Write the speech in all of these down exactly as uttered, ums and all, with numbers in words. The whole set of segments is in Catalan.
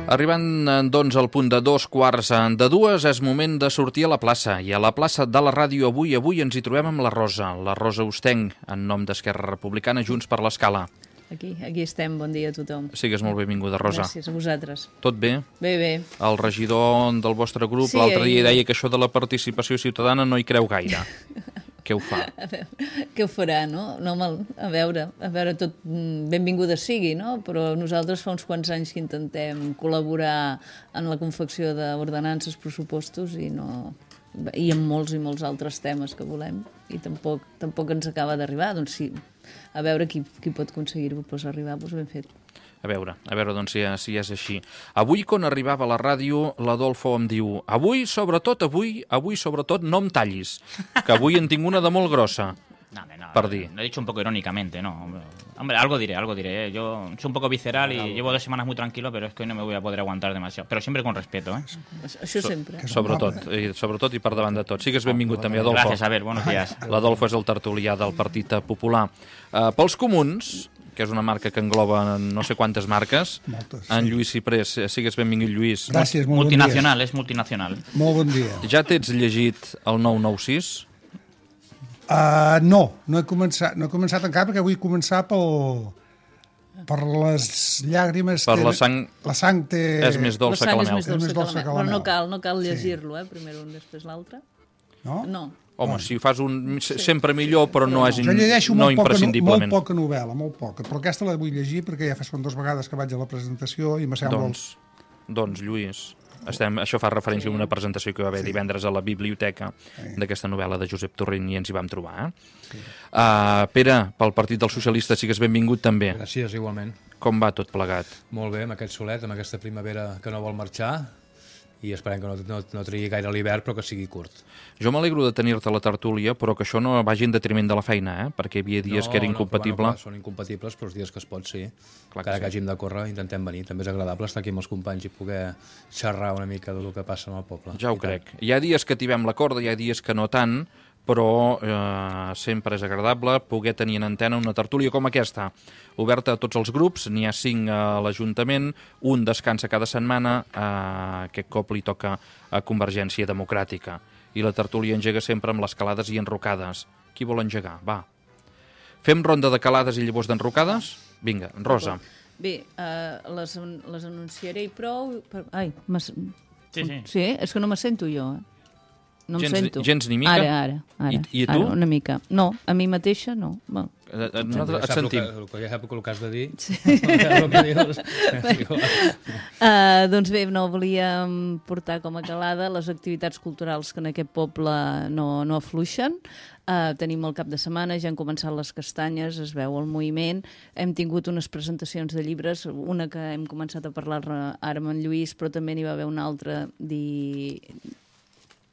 Arribant, doncs, al punt de dos quarts de dues, és moment de sortir a la plaça. I a la plaça de la ràdio avui, avui ens hi trobem amb la Rosa, la Rosa Ostenc, en nom d'Esquerra Republicana, Junts per l'Escala. Aquí, aquí estem, bon dia a tothom. Sigues molt benvinguda, Rosa. Gràcies a vosaltres. Tot bé? Bé, bé. El regidor del vostre grup Sí, l'altre dia ahir- deia que això de la participació ciutadana no hi creu gaire. Què ho fa? A veure, què ho farà, no? no home, a veure, a veure, tot mm, benvinguda sigui, no? Però nosaltres fa uns quants anys que intentem col·laborar en la confecció d'ordenances, pressupostos i no... i en molts i molts altres temes que volem i tampoc, tampoc ens acaba d'arribar, doncs sí, a veure qui, qui pot aconseguir-ho, doncs arribar, doncs ben fet. A veure, a veure doncs, si, si és així. Avui, quan arribava a la ràdio, l'Adolfo em diu avui, sobretot, avui, avui, sobretot, no em tallis, que avui en tinc una de molt grossa. No, hombre, no, per dir. Lo he dicho un poco irónicamente, ¿no? Hombre, algo diré, algo diré. ¿eh? Yo soy un poco visceral y llevo dos semanas muy tranquilo, pero es que hoy no me voy a poder aguantar demasiado. Però sempre con respeto, ¿eh? Això sempre. Sobretot, i, sobretot i per davant de tot. Sigues benvingut també, Adolfo. Gracias, Abel, buenos días. L'Adolfo és el tertulià del Partit Popular. Uh, pels comuns, que és una marca que engloba no sé quantes marques, Moltes, sí. en Lluís Ciprés, sigues benvingut, Lluís. Gràcies, molt Multinacional, bon dia. és multinacional. Molt bon dia. Ja t'ets llegit el nou nou sis? Uh, no, no he, començat, no he començat encara perquè vull començar pel, per les llàgrimes... Per té, la sang... La sang té... És més La dolça sang que la és mel. més dolça És més que la dolça mel, que la però no mel. cal, no cal Sí. llegir-lo, eh? Primer un, després l'altre. No? No. Home, si fas un... sempre millor, però no és in... Jo llegeixo no molt, poca, molt imprescindiblement. poca novel·la, molt poca, però aquesta la vull llegir perquè ja fa són dues vegades que vaig a la presentació i me sembla... Doncs, doncs Lluís, estem, això fa referència a una presentació que va haver divendres a la biblioteca d'aquesta novel·la de Josep Torrent i ens hi vam trobar. Eh? Sí. Uh, Pere, pel Partit dels Socialistes, sigues benvingut també. Gràcies, igualment. Com va tot plegat? Molt bé, amb aquest solet, amb aquesta primavera que no vol marxar, i esperem que no, no, no trigui gaire l'hivern, però que sigui curt. Jo m'alegro de tenir-te a la tertúlia, però que això no vagi en detriment de la feina, eh? Perquè hi havia dies no, que era no, incompatible. Però, bueno, clar, són incompatibles, però els dies que es pot, sí. Clar que Cada sí. que hàgim de córrer, intentem venir. També és agradable estar aquí amb els companys i poder xerrar una mica del que passa en el poble. Ja ho I crec. Hi ha dies que tibem la corda, hi ha dies que no tant, però eh, sempre és agradable poder tenir en antena una tertúlia com aquesta, oberta a tots els grups, n'hi ha cinc a l'Ajuntament, un descansa cada setmana, eh, aquest cop li toca a Convergència Democràtica, i la tertúlia engega sempre amb les calades i enrocades. Qui vol engegar? Va. Fem ronda de calades i llavors d'enrocades? Vinga, Rosa. Bé, uh, les, les anunciaré i prou... Per... Ai, Sí, sí. sí, és que no me sento jo, eh? No em Gens- sento. gens ni mica? Ara, ara. ara I- i tu? Ara, una mica. No, a mi mateixa no. Bueno, Eh, eh, Ja Nosaltres et saps el sentim. que, el que, ja sap el que has de dir. Sí. El que dius. Uh, doncs bé, no, volíem portar com a calada les activitats culturals que en aquest poble no, no afluixen. Uh, tenim el cap de setmana, ja han començat les castanyes, es veu el moviment. Hem tingut unes presentacions de llibres, una que hem començat a parlar ara amb en Lluís, però també n'hi va haver una altra di...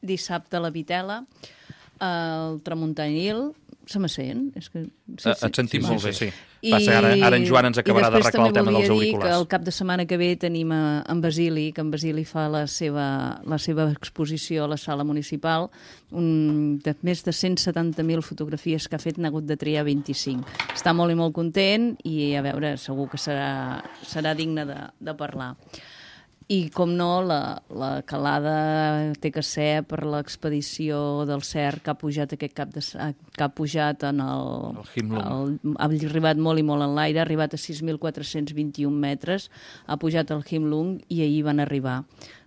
dissabte a la Vitela, el Tramuntanyil. Se me sent? És que... Sí, sí. Et sentim sí, molt bé, sí. I, Passa, ara, ara en Joan ens acabarà de arreglar el tema dels I després també volia dir que auriculars. el cap de setmana que ve tenim a, en Basili, que en Basili fa la seva, la seva exposició a la sala municipal, un, de més de cent setanta mil fotografies que ha fet, n'ha hagut de triar vint-i-cinc. Està molt i molt content i, a veure, segur que serà, serà digne de, de parlar. I, com no, la, la calada té que ser per l'expedició del C E R que ha pujat aquest cap de, que ha pujat en el... El Himlung. El, ha arribat molt i molt en l'aire, ha arribat a sis mil quatre-cents vint-i-un metres, ha pujat el Himlung i ahir van arribar,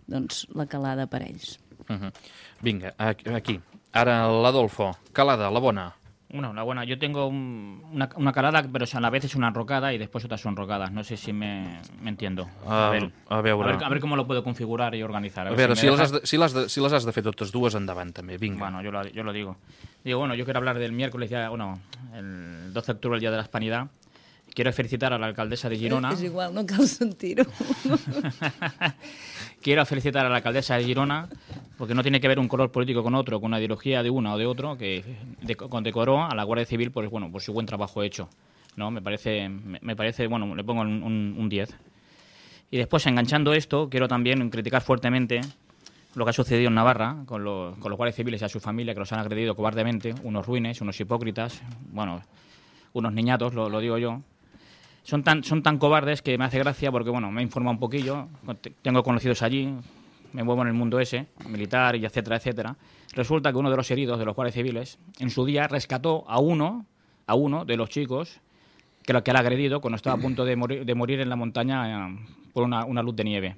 doncs, la calada per ells. Uh -huh. Vinga, aquí. Ara l'Adolfo. Calada, la bona. Bueno, la buena, yo tengo un- una, una calada, pero a la vez es una enrocada y después otras son rocadas. No sé si me, me entiendo. A, ver, a veure, a ver, a ver cómo lo puedo configurar y organizar. a ver veure si si, me les has dejas- de, si, les de, si les has de fer totes dues, endavant també, vinga. Bueno, yo lo, yo lo digo. Digo, bueno, yo quiero hablar del miércoles, ya, bueno, el doce de octubre, el Día de la Hispanidad. Quiero felicitar a la alcaldesa de Girona. És igual, no cal sentir-ho. Quiero felicitar a la alcaldesa de Girona, porque no tiene que ver un color político con otro, con una ideología de uno o de otro, que de- condecoró a la Guardia Civil por, bueno, por su buen trabajo hecho. ¿No? Me parece, me, me parece, bueno, le pongo un, un, un diez. Y después, enganchando esto, quiero también criticar fuertemente lo que ha sucedido en Navarra con, lo, con los guardias civiles y a su familia, que los han agredido cobardemente, unos ruines, unos hipócritas, bueno, unos niñatos, lo, lo digo yo. Son tan, son tan cobardes que me hace gracia porque, bueno, me he informado un poquillo, tengo conocidos allí, me muevo en el mundo ese, militar y etcétera, etcétera. Resulta que uno de los heridos de los guardias civiles, en su día rescató a uno, a uno de los chicos que lo que era agredido cuando estaba a punto de morir, de morir en la montaña eh, por una, una luz de nieve.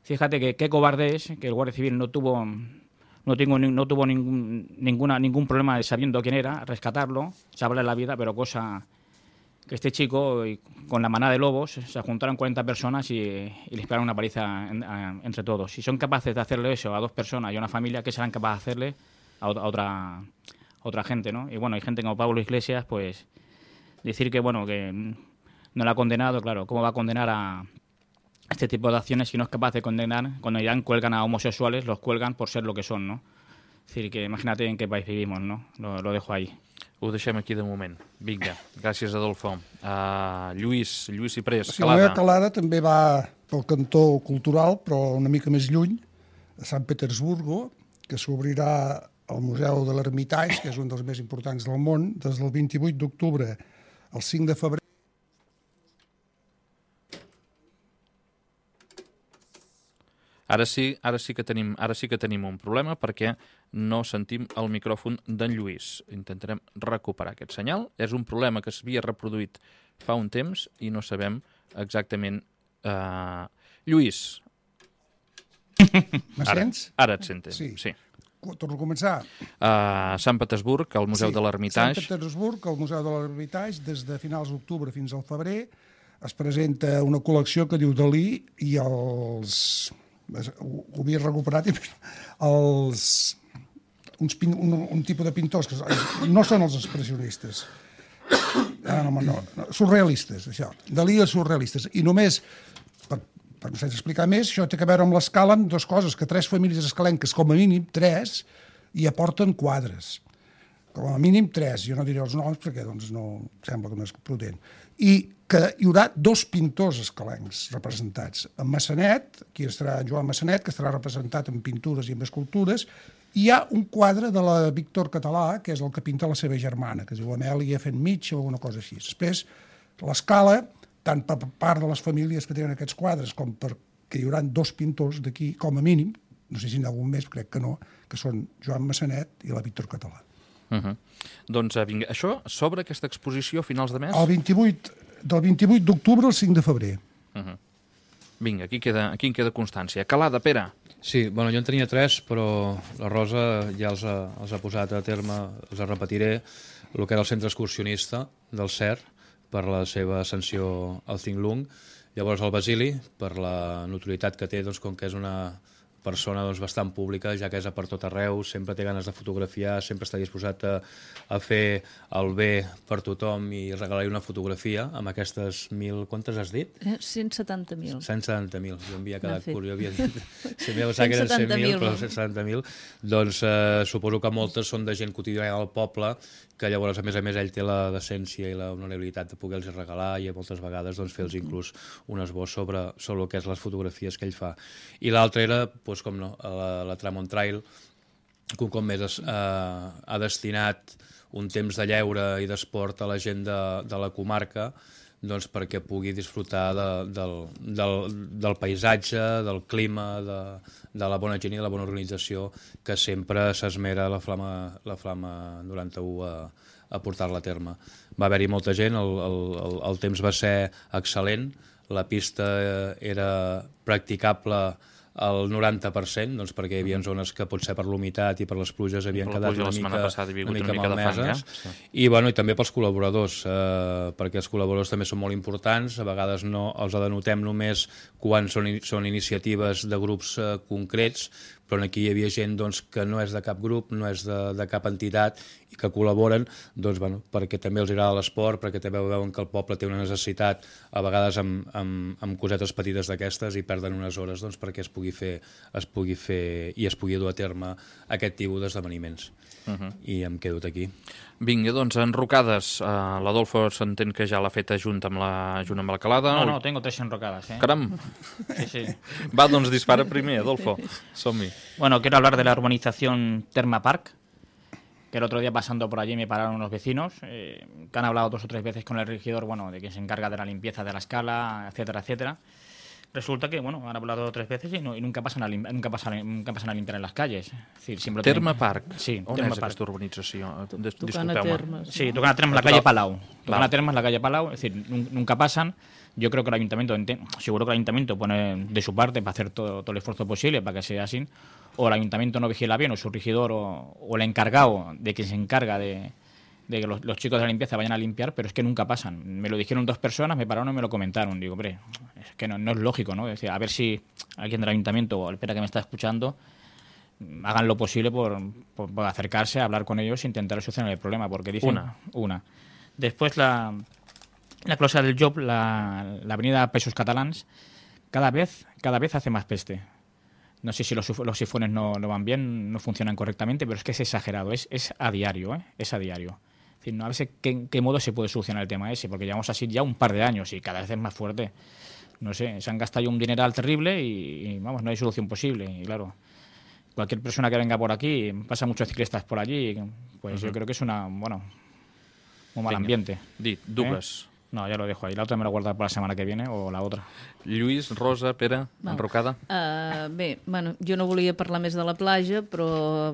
Fíjate que qué cobarde es que el guardia civil no tuvo, no tengo, no tuvo ningún, ninguna, ningún problema de sabiendo quién era, rescatarlo, salvarle la vida, pero cosa que este chico, con la manada de lobos, se juntaron cuarenta personas y, y les pegaron una paliza en, a, entre todos. Si son capaces de hacerle eso a dos personas y a una familia, ¿qué serán capaces de hacerle a, a, otra, a otra gente, ¿no? Y bueno, hay gente como Pablo Iglesias, pues, decir que, bueno, que no la ha condenado, claro, ¿cómo va a condenar a este tipo de acciones si no es capaz de condenar? Cuando ya cuelgan a homosexuales, los cuelgan por ser lo que son, ¿no? Es decir, que imagínate en qué país vivimos, ¿no? Lo, lo dejo ahí. Ho deixem aquí de moment. Vinga, gràcies, Adolfo. Uh, Lluís, Lluís Ciprés, sí, la meva calada també va pel cantó cultural, però una mica més lluny, a Sant Petersburgo, que s'obrirà al Museu de l'Ermitage, que és un dels més importants del món, des del vint-i-vuit d'octubre al cinc de febrer. Ara sí, ara sí que tenim, ara sí que tenim un problema perquè no sentim el micròfon d'en Lluís. Intentarem recuperar aquest senyal. És un problema que s'havia reproduït fa un temps i no sabem exactament... Uh... Lluís. Me sents? Ara, ara et sentem, sí. sí. Torno a començar. A Sant Petersburg, al Museu sí, de l'Ermitage. Sant Petersburg, al Museu de l'Ermitage, des de finals d'octubre fins al febrer, es presenta una col·lecció que diu Dalí i els... ho, ho havia recuperat i els, uns pin, un, un tipus de pintors que no són els expressionistes, ah, no, no, no, surrealistes, això. Dalí és surrealistes. I només, per, per no sé explicar més, això té a veure amb l'escala amb dues coses, que tres famílies escalenques, com a mínim tres, hi aporten quadres. Com a mínim tres, jo no diré els noms perquè doncs, no sembla que no és prudent. I que hi haurà dos pintors escalencs representats. En Massanet, aquí estarà en Joan Massanet, que estarà representat en pintures i en escultures, i hi ha un quadre de la Víctor Català, que és el que pinta la seva germana, que es diu Amèlia fent mig o alguna cosa així. Després, l'escala, tant per part de les famílies que tenen aquests quadres com perquè hi haurà dos pintors d'aquí, com a mínim, no sé si n'hi ha algun més, crec que no, que són Joan Massanet i la Víctor Català. Uh -huh. Doncs vinga, això sobre aquesta exposició a finals de mes? El vint-i-vuit, del vint-i-vuit d'octubre al cinc de febrer. Uh -huh. Vinga, aquí, queda, aquí en queda constància. Calada, Pere. Sí, bueno, jo en tenia tres, però la Rosa ja els ha, els ha posat a terme, els repetiré, el que era el centre excursionista del C E R per la seva ascensió al Cinglung, llavors el Basili per la notorietat que té, doncs, com que és una persona doncs, bastant pública, ja que és a per tot arreu, sempre té ganes de fotografiar, sempre està disposat a, a fer el bé per tothom i regalar-hi una fotografia amb aquestes mil... Quantes has dit? cent setanta mil. cent setanta mil. Jo havia quedat curt, jo havia dit... Sempre pensava que eren cent mil, però cent setanta mil. Doncs eh, suposo que moltes són de gent quotidiana del poble, que llavors, a més a més, ell té la decència i la honorabilitat de poder-los regalar i moltes vegades doncs, fer-los inclús un esbós sobre, sobre el que és les fotografies que ell fa. I l'altre era, doncs, com no, la, la Tramont Trail, que un cop més es, eh, ha destinat un temps de lleure i d'esport a la gent de, de la comarca, doncs perquè pugui disfrutar de, del, del, del paisatge, del clima, de, de la bona gent i de la bona organització que sempre s'esmera la Flama, la Flama noranta-u a, a portar-la a terme. Va haver-hi molta gent, el, el, el temps va ser excel·lent, la pista era practicable al noranta per cent, doncs perquè hi havia zones que potser per l'humitat i per les pluges havien per quedat pluja, una mica, passada, una mica, una mica malmeses. Sí. I, bueno, i també pels col·laboradors, eh, perquè els col·laboradors també són molt importants, a vegades no els denotem només quan són, són iniciatives de grups eh, concrets, però aquí hi havia gent doncs, que no és de cap grup, no és de, de cap entitat i que col·laboren doncs, bueno, perquè també els agrada l'esport, perquè també veuen que el poble té una necessitat a vegades amb, amb, amb cosetes petites d'aquestes i perden unes hores doncs, perquè es pugui fer, es pugui fer i es pugui dur a terme aquest tipus d'esdeveniments. Uh -huh. I em quedo aquí. Vinga, doncs, enrocades. Uh, L'Adolfo s'entén que ja l'ha feta junt amb la, junt amb la calada. No, no, tengo tres enrocadas, eh? Caram! Sí, sí. Va, doncs dispara primer, Adolfo. Som-hi. Bueno, quiero hablar de la urbanización Terma Park, que el otro día pasando por allí me pararon unos vecinos eh, que han hablado dos o tres veces con el regidor, bueno, de quien se encarga de la limpieza de la escala, etcétera, etcétera. Resulta que, bueno, han hablado tres veces y, no, y nunca, pasan a lim- nunca, pasan, nunca pasan a limpiar en las calles. Es decir, siempre Terma tienen... Park? Sí, On Terma és Park. aquesta urbanització? Des- Tocant a Disculpeu-me. termes. Sí, tocan a Termas la calle Palau. Tocan a Termas la calle Palau, es decir, nun- nunca pasan. Yo creo que el ayuntamiento, ente- seguro que el ayuntamiento pone de su parte para hacer todo, todo el esfuerzo posible para que sea así, o el ayuntamiento no vigila bien, o su regidor, o, o el encargado de quien se encarga de, de que los, los chicos de la limpieza vayan a limpiar, pero es que nunca pasan. Me lo dijeron dos personas, me pararon y me lo comentaron. Digo, hombre, es que no, no es lógico, ¿no? Es decir, a ver si alguien del ayuntamiento o espera que me está escuchando hagan lo posible por, por, por acercarse a hablar con ellos e intentar solucionar el problema, porque dicen Una. una. Después la, la closa del Job, la, la avenida Peixos Catalans, cada vez, cada vez hace más peste. No sé si los, sif- los sifones no, no van bien, no funcionan correctamente, pero es que es exagerado, es, es a diario, ¿eh? Es a diario. Es decir, no, a ver qué, qué modo se puede solucionar el tema ese, porque llevamos así ya un par de años y cada vez es más fuerte. No sé, se han gastado ya un dineral terrible y, y, vamos, no hay solución posible. Y claro, cualquier persona que venga por aquí, pasa muchos ciclistas por allí, pues uh-huh. yo creo que es una, bueno, un mal Vinga. ambiente. Dit, dues. ¿Eh? No, ya lo dejo ahí. La otra me la guardo para la semana que viene o la otra. Lluís, Rosa, Pere, Val. enrocada? Uh, bé, bueno, jo no volia parlar més de la platja, però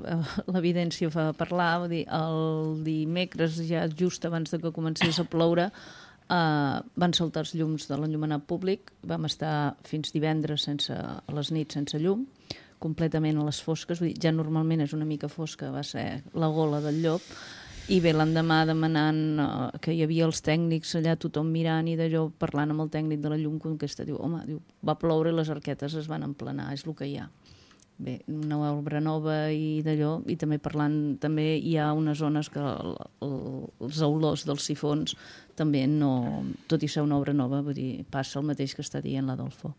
uh, l'evidència fa parlar. Vull dir, el dimecres, ja just abans de que comencés a ploure, uh, van saltar els llums de l'enllumenat públic. Vam estar fins divendres sense, a les nits sense llum, completament a les fosques. Vull dir, ja normalment és una mica fosca, va ser la gola del llop. I bé, l'endemà demanant uh, que hi havia els tècnics allà, tothom mirant i d'allò, parlant amb el tècnic de la llum, que aquesta diu, home, diu, va ploure i les arquetes es van emplenar, és el que hi ha. Bé, una obra nova i d'allò, i també parlant, també hi ha unes zones que el, el, els olors dels sifons també no, tot i ser una obra nova, vull dir, passa el mateix que està dient l'Adolfo.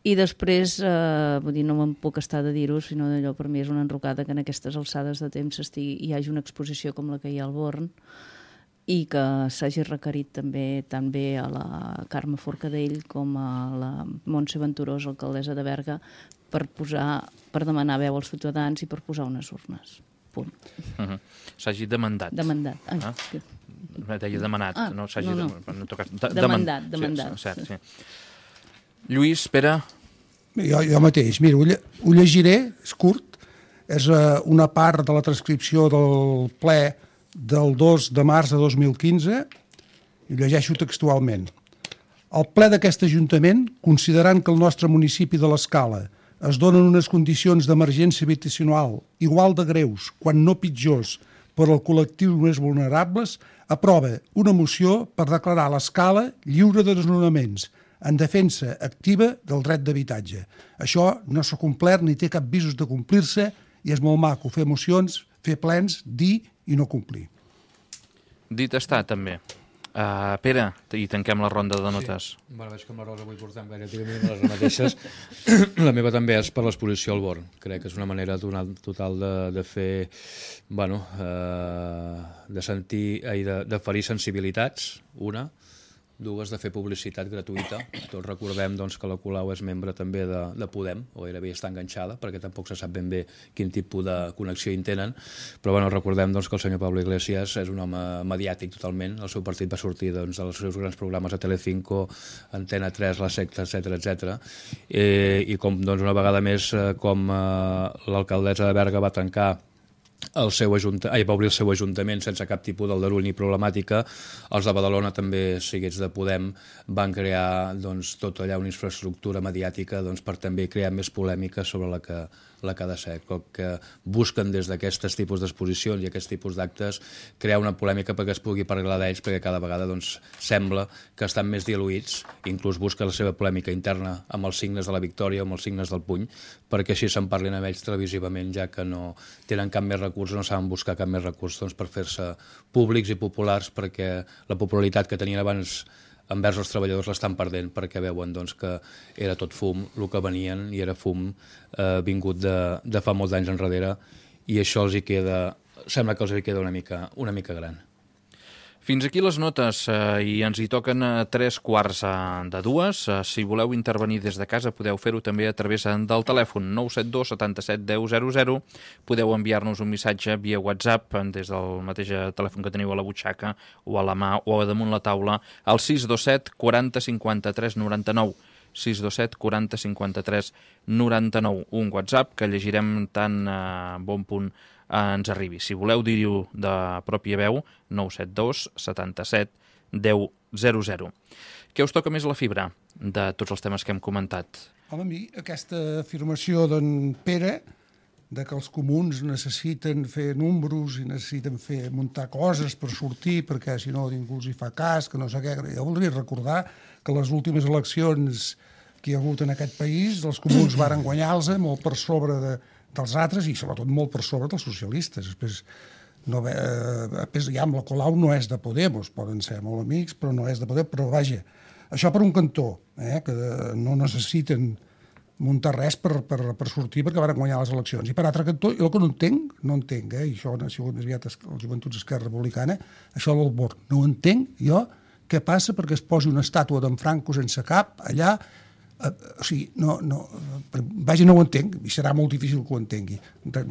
I després, eh, vull dir, no me'n puc estar de dir-ho, sinó d'allò per mi és una enrocada que en aquestes alçades de temps estigui, hi hagi una exposició com la que hi ha al Born i que s'hagi requerit també tan bé a la Carme Forcadell com a la Montse Venturós, alcaldessa de Berga, per posar, per demanar veu als ciutadans i per posar unes urnes. Punt. Uh-huh. S'hagi demandat. Demandat. Ai, Ah. que... Deia demanat, Ah, no s'hagi... no, no. De... no tocat... de... Demandat, demandat. Sí, cert, sí. Lluís, Pere... Jo, jo mateix, mira, ho, lle ho llegiré, és curt, és uh, una part de la transcripció del ple del dos de març de dos mil quinze, i ho llegeixo textualment. El ple d'aquest Ajuntament, considerant que el nostre municipi de l'Escala es donen unes condicions d'emergència habitacional igual de greus, quan no pitjors, per al col·lectiu més vulnerables, aprova una moció per declarar l'Escala lliure de desnonaments, en defensa activa del dret d'habitatge. Això no s'ha complert ni té cap visos de complir-se i és molt maco fer mocions, fer plens, dir i no complir. Dit està, també. Uh, Pere, i tanquem la ronda de notes. Sí. Bueno, veig que amb la Rosa avui portem gairebé les mateixes. La meva també és per l'exposició al Born. Crec que és una manera total de, de fer, bueno, eh, de sentir, i de, de ferir sensibilitats, una. Dues, de fer publicitat gratuïta. Tots recordem doncs, que la Colau és membre també de, de Podem, o gairebé està enganxada, perquè tampoc se sap ben bé quin tipus de connexió hi tenen, però bueno, recordem doncs, que el senyor Pablo Iglesias és un home mediàtic totalment. El seu partit va sortir doncs, dels seus grans programes a Telecinco, Antena tres, La Secta, etcètera, etcètera. Eh, I com doncs, una vegada més, eh, com eh, l'alcaldessa de Berga va tancar el seu ajunta... Ai, va obrir el seu ajuntament sense cap tipus d'aldarull ni problemàtica, els de Badalona també, seguits de Podem, van crear doncs, tot allà una infraestructura mediàtica doncs, per també crear més polèmica sobre la que, la que ha de ser. Com que busquen des d'aquests tipus d'exposicions i aquests tipus d'actes crear una polèmica perquè es pugui parlar d'ells, perquè cada vegada doncs, sembla que estan més diluïts, inclús busca la seva polèmica interna amb els signes de la victòria o amb els signes del puny, perquè així se'n parlin amb ells televisivament, ja que no tenen cap més recurs, no saben buscar cap més recurs doncs, per fer-se públics i populars, perquè la popularitat que tenien abans envers els treballadors l'estan perdent, perquè veuen doncs, que era tot fum, el que venien, i era fum eh, vingut de, de fa molts anys enrere, i això els hi queda, sembla que els hi queda una mica, una mica gran. Fins aquí les notes eh, i ens hi toquen a tres quarts eh, de dues. Eh, si voleu intervenir des de casa podeu fer-ho també a través del telèfon nou set dos setanta-set deu zero zero. Podeu enviar-nos un missatge via WhatsApp des del mateix telèfon que teniu a la butxaca o a la mà o a damunt la taula al sis dos set quaranta cinquanta-tres noranta-nou. sis dos set quaranta cinquanta-tres noranta-nou. Un WhatsApp que llegirem tan a bon punt ens arribi. Si voleu dir-ho de pròpia veu, nou set dos setanta-set deu zero zero. Què us toca més la fibra de tots els temes que hem comentat? Home, a mi aquesta afirmació d'en Pere de que els comuns necessiten fer números i necessiten fer muntar coses per sortir, perquè si no ningú els hi fa cas, que no sé què. Jo voldria recordar que les últimes eleccions que hi ha hagut en aquest país, els comuns varen guanyar-los molt per sobre de, dels altres i sobretot molt per sobre dels socialistes. Després, no, eh, després ja amb la Colau no és de Podemos, poden ser molt amics, però no és de Podemos, però vaja, això per un cantó, eh, que no necessiten muntar res per, per, per sortir perquè van guanyar les eleccions. I per altre cantó, jo el que no entenc, no entenc, eh, i això ha sigut més aviat la Joventut Esquerra Republicana, això del Born, no ho entenc jo què passa perquè es posi una estàtua d'en Franco sense cap allà. Uh, o sigui, no, no, vaja, no ho entenc, i serà molt difícil que ho entengui.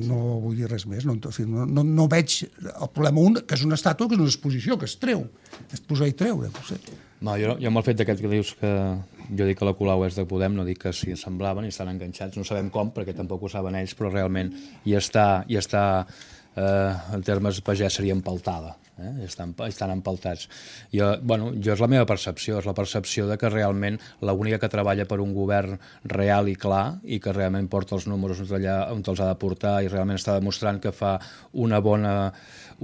No vull dir res més, no, no, no, no veig el problema un, que és una estàtua, que és una exposició, que es treu, es posar i treure, no sé. No, jo, jo amb el fet d'aquest que dius que jo dic que la Colau és de Podem, no dic que s'hi semblaven i estan enganxats, no sabem com, perquè tampoc ho saben ells, però realment hi està, hi està eh, en termes pagès seria empaltada. Eh? Estan, estan empaltats. Jo, bueno, jo és la meva percepció, és la percepció de que realment l'única que treballa per un govern real i clar i que realment porta els números allà on els ha de portar i realment està demostrant que fa una bona,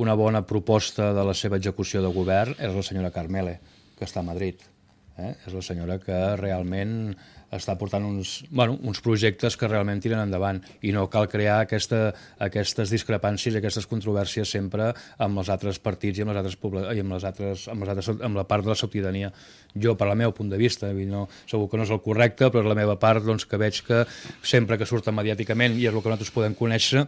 una bona proposta de la seva execució de govern és la senyora Carmele, que està a Madrid. Eh? És la senyora que realment està portant uns, bueno, uns projectes que realment tiren endavant i no cal crear aquesta, aquestes discrepàncies i aquestes controvèrsies sempre amb els altres partits i amb, les altres, i amb, les altres, amb, les altres, amb la part de la ciutadania. Jo, per al meu punt de vista, no, segur que no és el correcte, però és la meva part doncs, que veig que sempre que surten mediàticament i és el que nosaltres podem conèixer,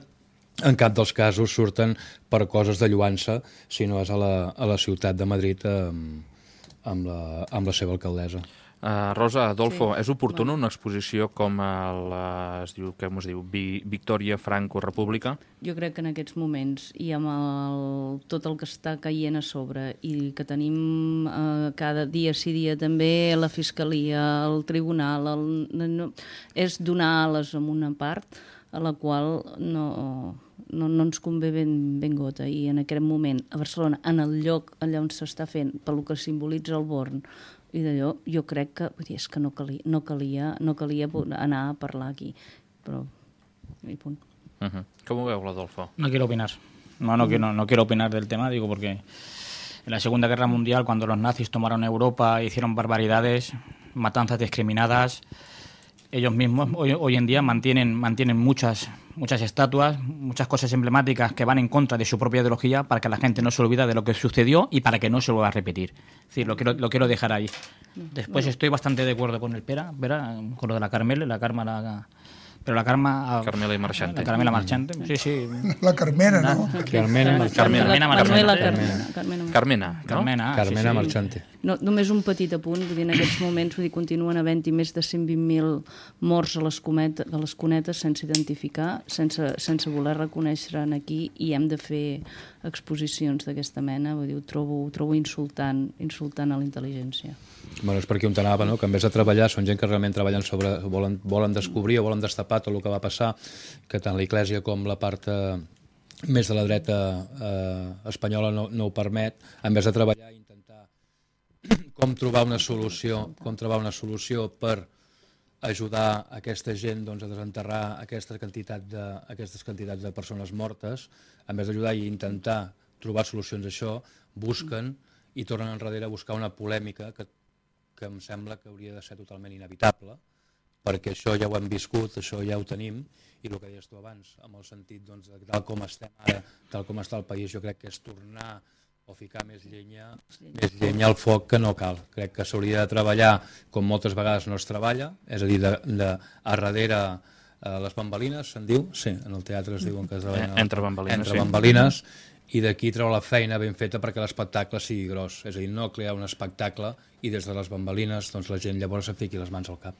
en cap dels casos surten per coses de lluança, sinó és a la, a la ciutat de Madrid amb, amb, la, amb la seva alcaldessa. Uh, Rosa, Adolfo, sí. és oportuna una exposició com la, es diu, com es diu, Victòria Franco República? Jo crec que en aquests moments i amb el, tot el que està caient a sobre i que tenim eh, cada dia sí dia també la Fiscalia, el Tribunal, el, no, és donar ales en una part a la qual no, no, no ens convé ben, ben gota. I en aquest moment a Barcelona, en el lloc allà on s'està fent, pel que simbolitza el Born, i d'allò jo crec que, vull dir, és que no calia, no calia, no calia anar a parlar aquí, però i punt. Uh -huh. ¿Cómo veo, Adolfo? No quiero opinar, no, no, quiero, no quiero opinar del tema, digo porque en la Segunda Guerra Mundial, cuando los nazis tomaron Europa, hicieron barbaridades, matanzas discriminadas, ellos mismos hoy, hoy en día mantienen, mantienen muchas, muchas estatuas, muchas cosas emblemáticas que van en contra de su propia ideología para que la gente no se olvide de lo que sucedió y para que no se lo va a repetir. Es decir, lo quiero, lo quiero dejar ahí. Después estoy bastante de acuerdo con el Pera, Pera con lo de la Carmele, la Carma... La, pero la Carma... Carmela y Marchante. La Carmela Marchante, sí, sí. La Carmena, no? Carmena Marchante. Carmena Marchante. Carmena, no? Carmena, Carmena Marchante. No, només un petit apunt, vull dir, en aquests moments vull dir, continuen havent-hi més de cent vint mil morts a les, cometa, a les cunetes sense identificar, sense, sense voler reconèixer aquí, i hem de fer exposicions d'aquesta mena, vull dir, ho trobo, ho trobo insultant, insultant a la intel·ligència. Bueno, és per aquí on t'anava, no? Que en vez de treballar són gent que realment treballen sobre, volen, volen descobrir o volen destapar tot el que va passar, que tant l'Església com la part eh, més de la dreta eh, espanyola no, no ho permet, en vez de treballar i intentar com trobar una solució, com trobar una solució per ajudar aquesta gent doncs, a desenterrar aquesta quantitat de, aquestes quantitats de persones mortes, en vez d'ajudar i intentar trobar solucions a això, busquen i tornen enrere a buscar una polèmica que que em sembla que hauria de ser totalment inevitable, perquè això ja ho hem viscut, això ja ho tenim, i el que deies tu abans, amb el sentit doncs, de tal com estem ara, tal com està el país, jo crec que és tornar o ficar més llenya, més llenya al foc que no cal. Crec que s'hauria de treballar com moltes vegades no es treballa, és a dir, de, de a darrere a les bambalines, se'n diu? Sí, en el teatre es diuen que es treballen entre bambalines, entre sí. bambalines, i d'aquí treu la feina ben feta perquè l'espectacle sigui gros. És a dir, no crear un espectacle i des de les bambalines doncs, la gent llavors se fiqui les mans al cap.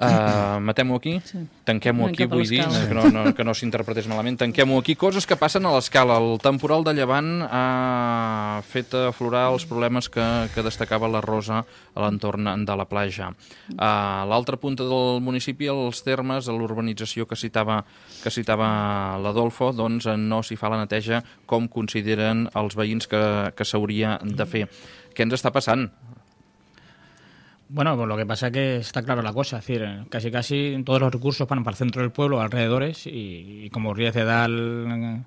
Uh, matem-ho aquí? Sí. Tanquem-ho aquí, vull dir, que no, no, que no s'interpretés malament. Tanquem-ho aquí. Coses que passen a l'escala. El temporal de Llevant ha fet aflorar els problemes que, que destacava la Rosa a l'entorn de la platja. A l'altra punta del municipi, els termes, a l'urbanització que citava, que citava l'Adolfo, doncs no s'hi fa la neteja com consideren els veïns que, que s'hauria de fer. Què ens està passant? Bueno, pues lo que pasa es que está clara la cosa, es decir, casi casi todos los recursos van para el centro del pueblo, alrededores, y, y como Río Cedal,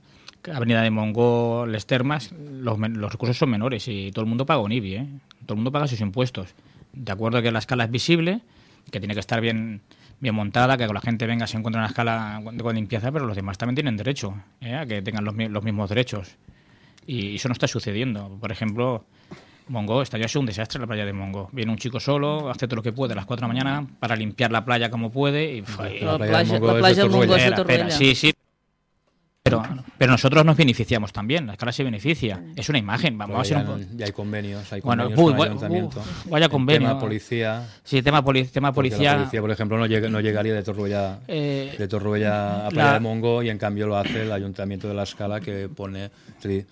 Avenida de Montgó, Les Termas, los, los recursos son menores y todo el mundo paga un I B I, ¿eh? Todo el mundo paga sus impuestos. De acuerdo que la escala es visible, que tiene que estar bien, bien montada, que la gente venga se encuentre una escala con limpieza, pero los demás también tienen derecho, ¿eh? A que tengan los, los mismos derechos. Y eso no está sucediendo. Por ejemplo, Montgó, está ya un desastre la playa de Montgó. Viene un chico solo, hace todo lo que puede a las cuatro de la mañana para limpiar la playa como puede. Y, y la, playa, la playa del Montgó es de Torroella. Sí, sí. Pero, pero nosotros nos beneficiamos también, la escala se beneficia. Es una imagen, vamos a ser un... Ya hay convenios, hay bueno, convenios uy, con el ayuntamiento. Uh, vaya convenio. Tema policía. Sí, tema, poli tema policía. La policía, por ejemplo, no, llega, no llegaría de Torroella, eh, de Torroella a Playa la... de Montgó y en cambio lo hace el ayuntamiento de la escala que pone... Sí,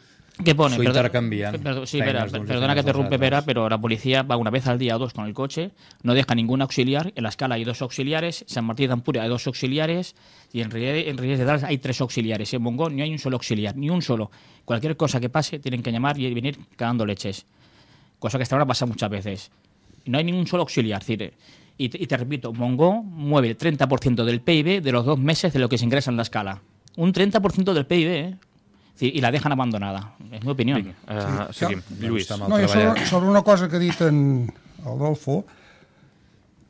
¿Qué pone? Su intercambian. Perdón, sí, pera, perdona que te rompe, Pera, pero la policía va una vez al día o dos con el coche, no deja ningún auxiliar. En la escala hay dos auxiliares, San Martín de Ampuria hay dos auxiliares y en Ríes, en Ríes de Dals hay tres auxiliares. En Montgó no hay un solo auxiliar, ni un solo. Cualquier cosa que pase tienen que llamar y venir cagando leches. Cosa que hasta ahora pasa muchas veces. No hay ningún solo auxiliar. Es decir, y, te, y te repito, Montgó mueve el treinta por ciento del P I B de los dos meses de lo que se ingresa en la escala. Un treinta por ciento del P I B, ¿eh? Sí, i la dejan abandonada, és mi opinió. Sí, uh, sí, seguim. Lluís. No, sobre, sobre una cosa que ha dit en Adolfo,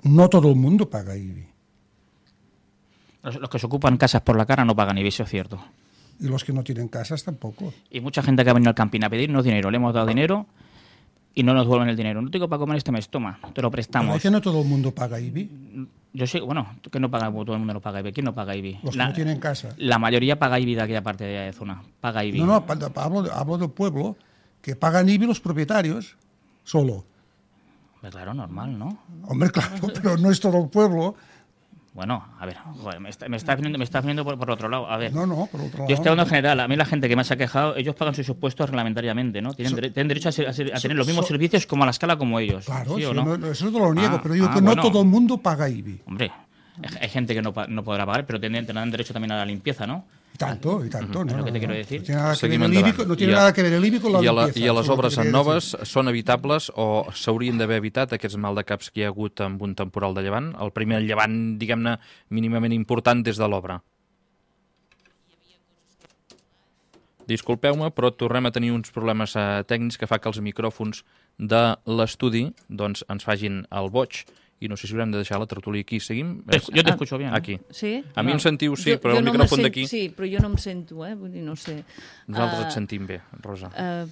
no todo el mundo paga I B I. Los, los que se ocupan casas por la cara no pagan I B I, eso es cierto. Y los que no tienen casas tampoco. Y mucha gente que ha venido al camping a pedirnos dinero, le hemos dado dinero y no nos devuelven el dinero. No tengo para comer este mes, toma, te lo prestamos. Pero es que no todo el mundo paga I B I. Yo sé, bueno, que no paga, todo el mundo no paga I B I. ¿Quién no paga I B I? Los que la, no tienen casa. La mayoría paga I B I de aquella parte de la zona. Paga I B I. No, no, hablo, hablo del pueblo, que pagan I B I los propietarios, solo. Claro, normal, ¿no? Hombre, claro, pero no es todo el pueblo. Bueno, a ver, joder, me está, me está viniendo, me está viniendo por, por otro lado. A ver. No, no, por otro lado. Yo estoy hablando en general. A mí la gente que me ha quejado, ellos pagan sus impuestos reglamentariamente, ¿no? Tienen, so, tienen derecho a, ser, a, ser, a tener los mismos so, servicios como a la escala como ellos. Claro, ¿sí sí, o no? no, eso no lo niego, ah, pero digo ah, que bueno. no todo el mundo paga I B I. Hombre, hay gente que no, no podrá pagar, pero tendrán, tendrán derecho también a la limpieza, ¿no? Y tanto, y tanto, uh -huh. ¿no? Es lo que te quiero decir. No tiene nada que ver el I B I, no tiene nada que ver el I B I con la I a la, limpieza. I a les obres noves són evitables o s'haurien d'haver evitat aquests maldecaps que hi ha hagut amb un temporal de llevant? El primer llevant, diguem-ne, mínimament important des de l'obra. Disculpeu-me, però tornem a tenir uns problemes eh, tècnics que fa que els micròfons de l'estudi doncs, ens fagin el boig. I no sé si haurem de deixar la tertúlia aquí. Seguim? Jo t'escucho bien. Aquí. Sí? A mi no. em sentiu, sí, jo, però jo el no micròfon d'aquí... Sí, però jo no em sento, eh? Vull dir, no sé. Nosaltres uh, et sentim bé, Rosa. Uh,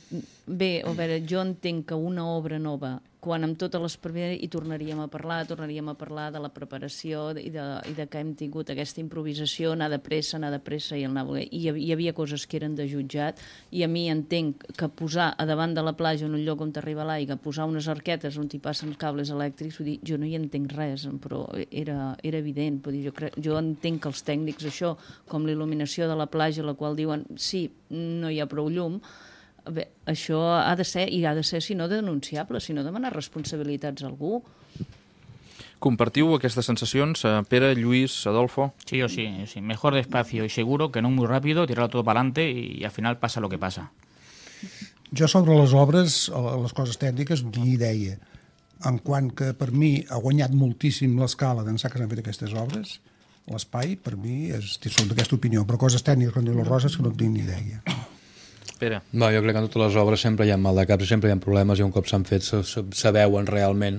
bé, a veure, jo entenc que una obra nova, quan amb totes les previsions hi tornaríem a parlar, tornaríem a parlar de la preparació i de, i de que hem tingut aquesta improvisació, anar de pressa, anar de pressa i anar... I hi havia coses que eren de jutjat i a mi entenc que posar a davant de la platja en un lloc on t'arriba l'aigua, posar unes arquetes on t'hi passen cables elèctrics, vull dir, jo no hi entenc res, però era, era evident. Vull dir, jo, crec, jo entenc que els tècnics això, com l'il·luminació de la platja, la qual diuen sí, no hi ha prou llum, bé, això ha de ser, i ha de ser, si no, denunciable, si no, demanar responsabilitats a algú. Compartiu aquestes sensacions, eh, Pere, Lluís, Adolfo? Sí, yo sí, yo sí. Mejor despacio y seguro que no muy rápido, tirarlo todo para adelante y, y al final pasa lo que pasa. Jo sobre les obres, les coses tècniques, no tinc idea. En quant que per mi ha guanyat moltíssim l'escala d'ençà que s'han fet aquestes obres, l'espai, per mi, és, són d'aquesta opinió, però coses tècniques, com diu la Rosa, és que no tinc ni idea. Pere. No, jo crec que en totes les obres sempre hi ha mal de caps i sempre hi ha problemes i un cop s'han fet se, se, se veuen realment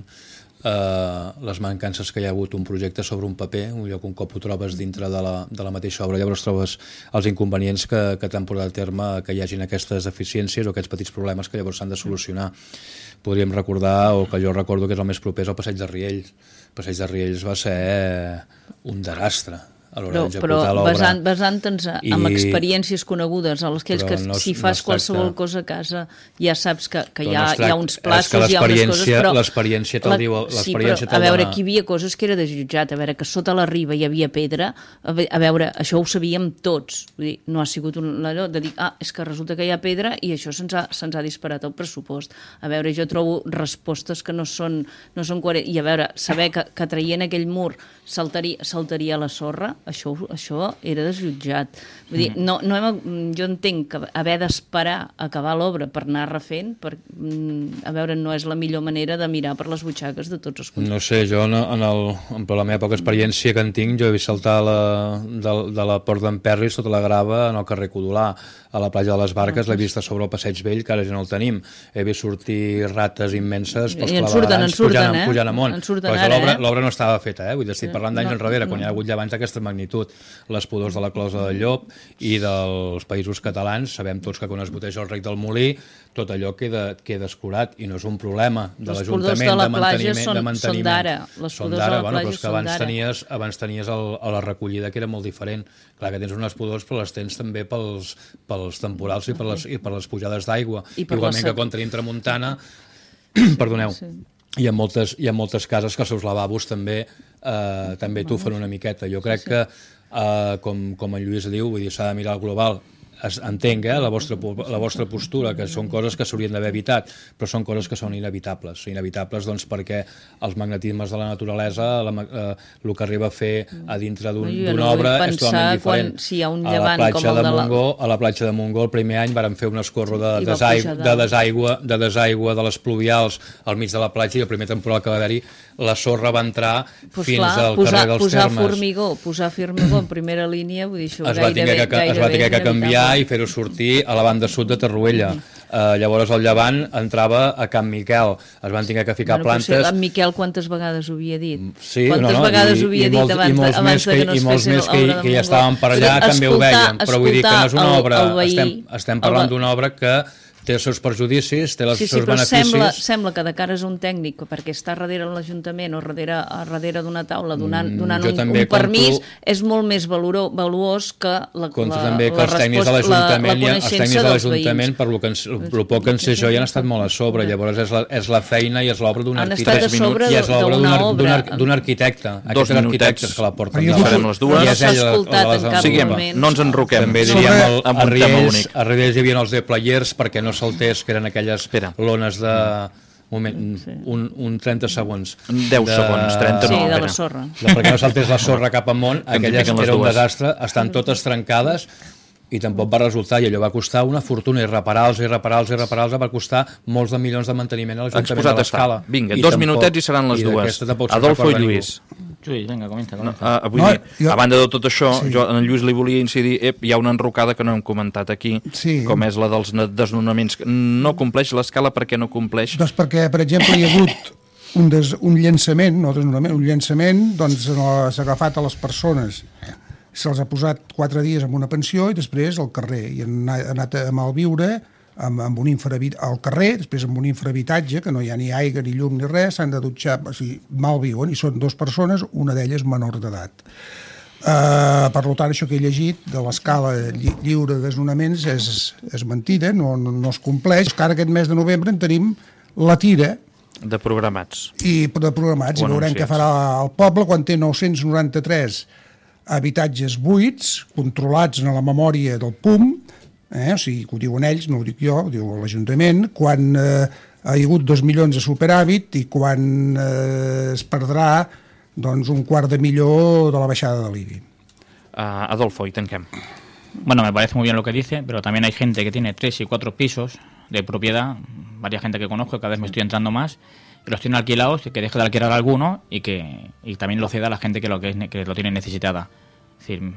eh, les mancances que hi ha hagut un projecte sobre un paper, un lloc un cop ho trobes dintre de la, de la mateixa obra, llavors trobes els inconvenients que, que t'han portat a terme que hi hagin aquestes deficiències o aquests petits problemes que llavors s'han de solucionar. Podríem recordar, o que jo recordo que és el més proper, el Passeig de Riells. El Passeig de Riells va ser un desastre. a l'hora d'executar l'obra. Però basant, basant-nos I... en experiències conegudes, a les que, no, si fas no qualsevol cosa a casa ja saps que, que hi, ha, no hi ha uns plaços, hi ha unes coses, però... L'experiència te'l diu, l'experiència sí, a veure, aquí hi havia coses que era desjutjat, a veure, que sota la riba hi havia pedra, a veure, això ho sabíem tots, vull dir, no ha sigut un allò de dir, ah, és que resulta que hi ha pedra i això se'ns ha, se'ns ha disparat el pressupost. A veure, jo trobo respostes que no són, no són coherents, i a veure, saber que, que traient aquell mur saltaria, saltaria la sorra, això, això era desjutjat. Vull dir, no, no hem, jo entenc que haver d'esperar a acabar l'obra per anar refent, per, a veure, no és la millor manera de mirar per les butxaques de tots els constructors. No sé, jo en, en, el, en la meva poca experiència que en tinc, jo he vist saltar la, de, de la Port d'en Perri sota la grava en el carrer Codolà, a la platja de les Barques, l'he vist sobre el Passeig Vell, que ara ja no el tenim. He vist sortir rates immenses pels claveguerams pujant, eh? pujant amunt. Però l'obra eh? no estava feta, eh? Vull dir, estic parlant d'anys no, enrere, quan no. hi ha hagut llevants d'aquesta magnitud. Les pudors de la Closa del Llop i dels països catalans, sabem tots que quan es boteja el rec del Molí, tot allò queda, queda escurat i no és un problema de l'Ajuntament de, de manteniment. Són, de manteniment. Són d'ara. Les són d'ara, bueno, però és que abans tenies, abans tenies el, a la recollida que era molt diferent. Clar que tens unes pudors, però les tens també pels, pels temporals i per les, i per les pujades d'aigua. Igualment que quan tenim tramuntana, perdoneu, sí. hi, ha moltes, hi ha moltes cases que els seus lavabos també eh, també t'ufen una miqueta. Jo crec que, eh, com, com en Lluís diu, vull dir, s'ha de mirar el global. Entenc eh, la, vostra, la vostra postura, que són coses que s'haurien d'haver evitat, però són coses que són inevitables. Inevitables doncs, perquè els magnetismes de la naturalesa, la, eh, el que arriba a fer a dintre d'una un, obra és totalment diferent. Quan, si hi ha un a, la platja de Montgó, a la platja de Montgó el primer any varen fer un escorro de, desaigua, de, desaigua, de desaigua de les pluvials al mig de la platja, i el primer temporal que va haver-hi la sorra va entrar pues fins clar, al posar, carrer dels posar Termes. Formigó, posar formigó en primera línia, vull dir, això es va gairebé, que, gairebé, es va tenir que canviar i fer-ho sortir a la banda sud de Torroella. Uh, llavors el Llevant entrava a Can Miquel, es van tenir que ficar bueno, plantes. En Miquel quantes vegades ho havia dit? Sí, quantes no, no, vegades i, ho havia i molts, dit abans, i molts abans de que no es fes fessin l'obra de Montgó? Que ja estaven per allà escoltar, també ho veien, però vull dir que no és una obra, el, el veí, estem, estem parlant d'una obra que té els seus perjudicis, té els sí, sí, seus beneficis. Sembla, sembla que de cara és un tècnic, perquè està darrere de l'Ajuntament o darrere, a darrere d'una taula donant, donant un, un permís, tu, és molt més valoró, valuós que la, compte la, també que la els tècnics de l'Ajuntament, els tècnics de l'Ajuntament, per lo que, el poc que en sé jo, ja han estat molt a sobre. Llavors és la, és la feina i és l'obra d'un arquitecte. I és l'obra d'un arquitecte. Aquests arquitectes que la porten. I farem les dues. Siguem, no ens enroquem. També diríem, a Riells hi havia els de players perquè no saltés, que eren aquelles Espera. lones de... Moment, sí. un, un trenta segons. deu de... segons, trenta no. Sí, de la sorra. De, perquè no saltés la sorra cap amunt, aquelles que era un desastre, estan totes trencades i tampoc va resultar, i allò va costar una fortuna, i reparar-los, i reparar-los, i reparar-los, va costar molts de milions de manteniment a l'Ajuntament de l'Escala. Vinga, I dos tampoc, minutets i seran les dues. Adolfo i Lluís. Lluís, vinga, comenta. comenta. No, uh, vull no, dir, jo... a banda de tot això, sí. jo en Lluís li volia incidir, ep, hi ha una enrocada que no hem comentat aquí, sí. com és la dels desnonaments. No compleix l'Escala perquè no compleix? Doncs perquè, per exemple, hi ha hagut un, des, un llançament, no desnonament, un llançament, doncs s'ha agafat a les persones, se'ls ha posat quatre dies en una pensió i després al carrer, i han anat a malviure amb, amb un infrahabitatge al carrer, després amb un infrahabitatge, que no hi ha ni aigua, ni llum, ni res, s'han de dutxar, o sigui, malviuen, i són dues persones, una d'elles menor d'edat. Uh, per tant, això que he llegit de l'escala lli lliure de desnonaments és, és mentida, no, no, no es compleix, que ara aquest mes de novembre en tenim la tira de programats. I de programats, i veurem què farà el poble quan té nou-cents noranta-tres habitatges buits, controlats en la memòria del P U M, eh? O sigui, que ho diuen ells, no ho dic jo, ho diu l'Ajuntament, quan eh, ha hagut dos milions de superàvit i quan eh, es perdrà doncs, un quart de milió de la baixada de l'I B I. Uh, Adolfo, y tanquem. Bueno, me parece muy bien lo que dice, pero también hay gente que tiene tres y cuatro pisos de propiedad, varias gente que conozco, cada vez me estoy entrando más, y los tienen alquilados, y que deje de alquilar a alguno y que y también lo ceda a la gente que lo, que, es, que lo tiene necesitada. Es decir,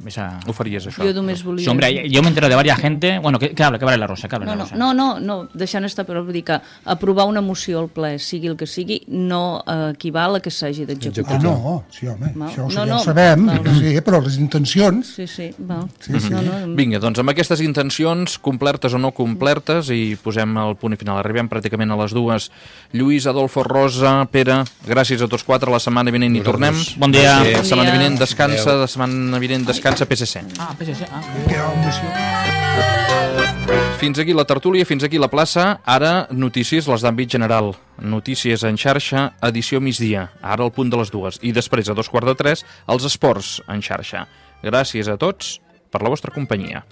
esa... Ho faries, això? Jo només volia... Sí, hombre, yo me entero de varias gente... Bueno, que, que hable, que hable la Rosa, que hable no, la no, Rosa. no, no, no, deixant estar, però vull dir que aprovar una moció al ple, sigui el que sigui, no equival a que s'hagi d'executar. Ah, no, sí, home, Val. això No, ja no, ho sabem, val, val. sí, però les intencions... Sí, sí, val. Sí, sí. No, no, Vinga, doncs amb aquestes intencions, complertes o no complertes, i posem el punt i final. Arribem pràcticament a les dues. Lluís, Adolfo, Rosa, Pere, gràcies a tots quatre. La setmana vinent hi tornem. Bon dia. La Bon setmana dia. vinent descansa, la setmana vinent descansa P S C. Ah, P S C, ah. Que hi ha una moció. Fins aquí la tertúlia, fins aquí la plaça. Ara notícies, les d'àmbit general. Notícies en xarxa, edició migdia. Ara al punt de les dues. I després, a dos quarts de tres, els esports en xarxa. Gràcies a tots per la vostra companyia.